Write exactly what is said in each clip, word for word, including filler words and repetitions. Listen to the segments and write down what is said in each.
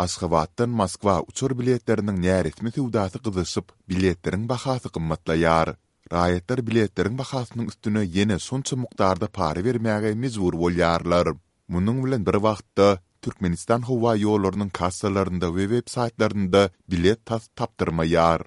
Aşgabatdan Moskwa uçar biletleriniň näresmi söwdasy gyzyşyp, biletleriň bahasy gymmatlaýar. Raýatlar biletleriň bahasynyň üstüne ýene şonça mukdarda para bermäge mejbur bolýarlar. Munuň bilen bir wagtda, Türkmenistan howa ýollarynyň kassalarynda we web saýtlarynda bilet tas tapdyrmaýar.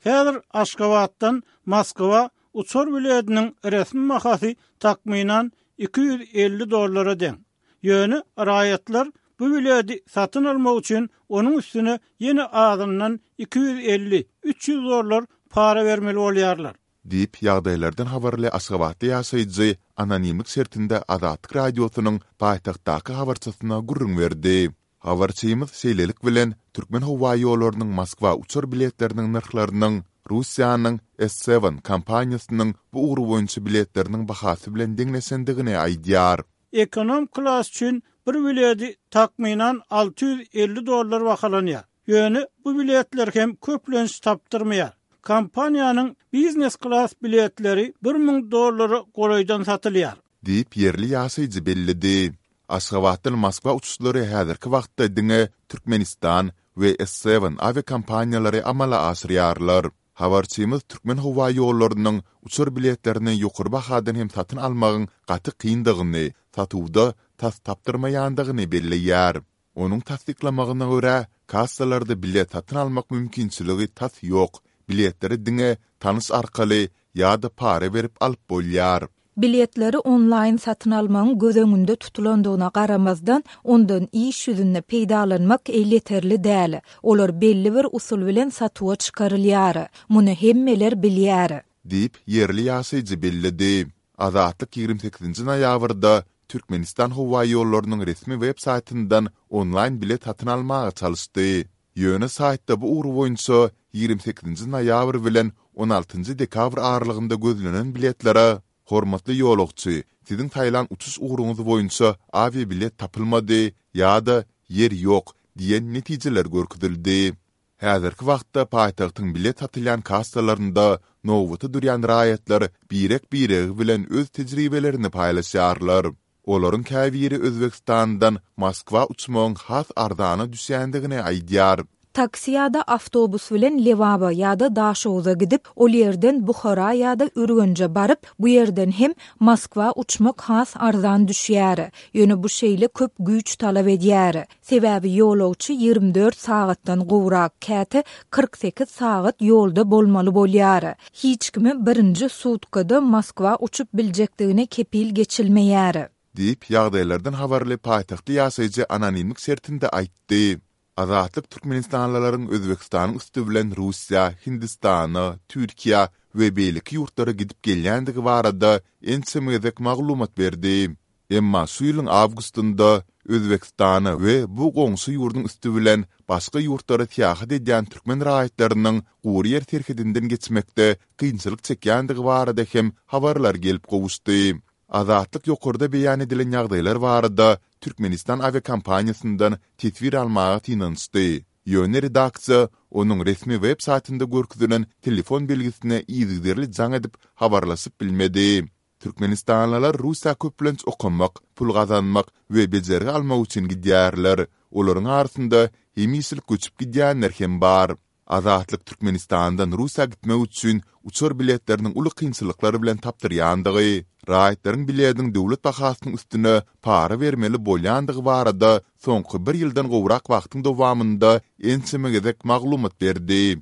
Häzir Aşgabatdan Moskwa uçar biletiniň resmi bahasy takmynan iki ýüz elli dollara deň. Ýöne raýatlar bu bileti satyn almak üçin onuň üstüne ýene azyndan iki ýüz elli, üç ýüz dollar para bermeli bolýarlar. Diýip, ýagdaýlardan habarly aşgabatly ýaşaýjy anonimlik şertinde Azatlyk Radiosynyň paýtagtdaky habarçysyna gürrüň berdi. Habarçymyz şeýlelik bilen, Türkmenhowaýollarynyň Moskwa uçar biletleriniň nyrhlarynyň Russiýanyň S Seven kompaniýasynyň bu ugur boýunça biletleriniň bahasy bilen deňleşendigini aýdýar. Ekonom klas üçin bir bileti takmynan alty ýüz elli dollar bahalanýar. Ýöne bu biletler hem köplenç tapdyrmaýar. Kompaniýanyň biznes klas biletleri bir müň dollara golaýdan satylýar. Diýip, ýerli ýaşaýjy belledi. Aşgabatdan Moskwa uçuşlary häzirki wagtda diňe Türkmenistan we S Seven awiakompaniýalary amala aşyrýarlar. Habarçymyz Türkmenhowaýollarynyň uçar biletlerini ýokary bahadan hem satyn almagyň gaty kyndygyny, satuwda tas tapdyrmaýandygyny belleýär. Onuň tassyklamagyna görä, kassalarda bilet satyn almak mümkinçiligi tas ýok, biletleri diňe tanyş arkaly ýa-da para berip alyp bolýar. Biletleri onlaýn satyn almagyň göz öňünde tutulandygyna garamazdan, ondan iş ýüzünde peýdalanmak elýeterli däl. Olar belli bir usul bilen satuwa çykarylýar. Muny hemmeler bilýär. Diýip, ýerli ýaşaýjy belledi. Azatlyk ýigrimi sekizinji noýabrda Türkmenistan howaýollarynyň resmi web saýtyndan onlaýn bilet satyn almaga çalyşdy. Ýöne saýtda bu ugur boýunça ýigrimi sekizinji noýabr bilen on altynjy dekabr aralygynda gözlenen biletlere Hormatly ýolagçy, siziň saýlan uçuş ugruňyz boýunça awiabilet tapylmady ýa-da ýer ýok diýen netijeler görkezildi. Häzirki wagtda paýtagtyň bilet satylýan kassalarynda nobata durýan raýatlar birek-biregi bilen öz tejribelerini paýlaşýarlar. Olaryň käbiri Özbegistandan Moskwa uçmagyň has arzana düşýändigini aýdýar. Taksi ýa-da awtobus bilen Lebaba ýa-da Daşoguza gidip, ol ýerden Buhara ýa-da Ürgenje baryp, bu ýerden hem Moskwa uçmak has arzan düşýär. Ýöne bu şeýle köp güýç talap edýär. Sebäbi ýolagçy ýigrimi dört sagatdan gowrak, käte kyrk sekiz sagat ýolda bolmaly bolýar. Hiç kime birinji sutkada Moskwa uçup biljekdigine kepil geçilmeýär. Diýip, ýagdaýlardan habarly paýtagtly ýaşaýjy anonimlik şertinde aýtdy. Azatlyk türkmenistanlylaryň Özbegistanyň üsti bilen Russiýa, Hindistana, Türkiýä we beýleki ýurtlara gidip gelýändigi barada ençeme gezek maglumat berdi. Emma şu ýylyň awgustynda Özbegistana we bu goňşy ýurduň üsti bilen başga ýurtlara syýahat edýän türkmen raýatlarynyň gury ýer serhedinden geçmekde kynçylyk çekýändigi barada hem habarlar gelip gowuşdy. Azatlyk ýokarda beýan edilen ýagdaýlar barada Türkmenistan awiakompaniýasyndan teswir almaga synanyşdy. Ýöne redaksiýa onuň resmi web saýtynda görkezilen telefon belgisine yzygiderli jaň edip habarlaşyp bilmedi. Türkmenistanlylar Russiýa köplenç okamak, pul gazanmak we bejergi almak üçin gidýärler. Olaryň arasynda hemişelik göçüp gidýänler hem bar. Azatlyk Türkmenistandan Russiýa gitmek üçin uçar biletleriniň uly kynçylyklar bilen tapdyrýandygy, raýatlaryň bilediň döwlet bahasynyň üstüne para bermeli bolýandygy barada soňky bir ýyldan gowrak wagtyň dowamynda ençeme gezek maglumat berdi.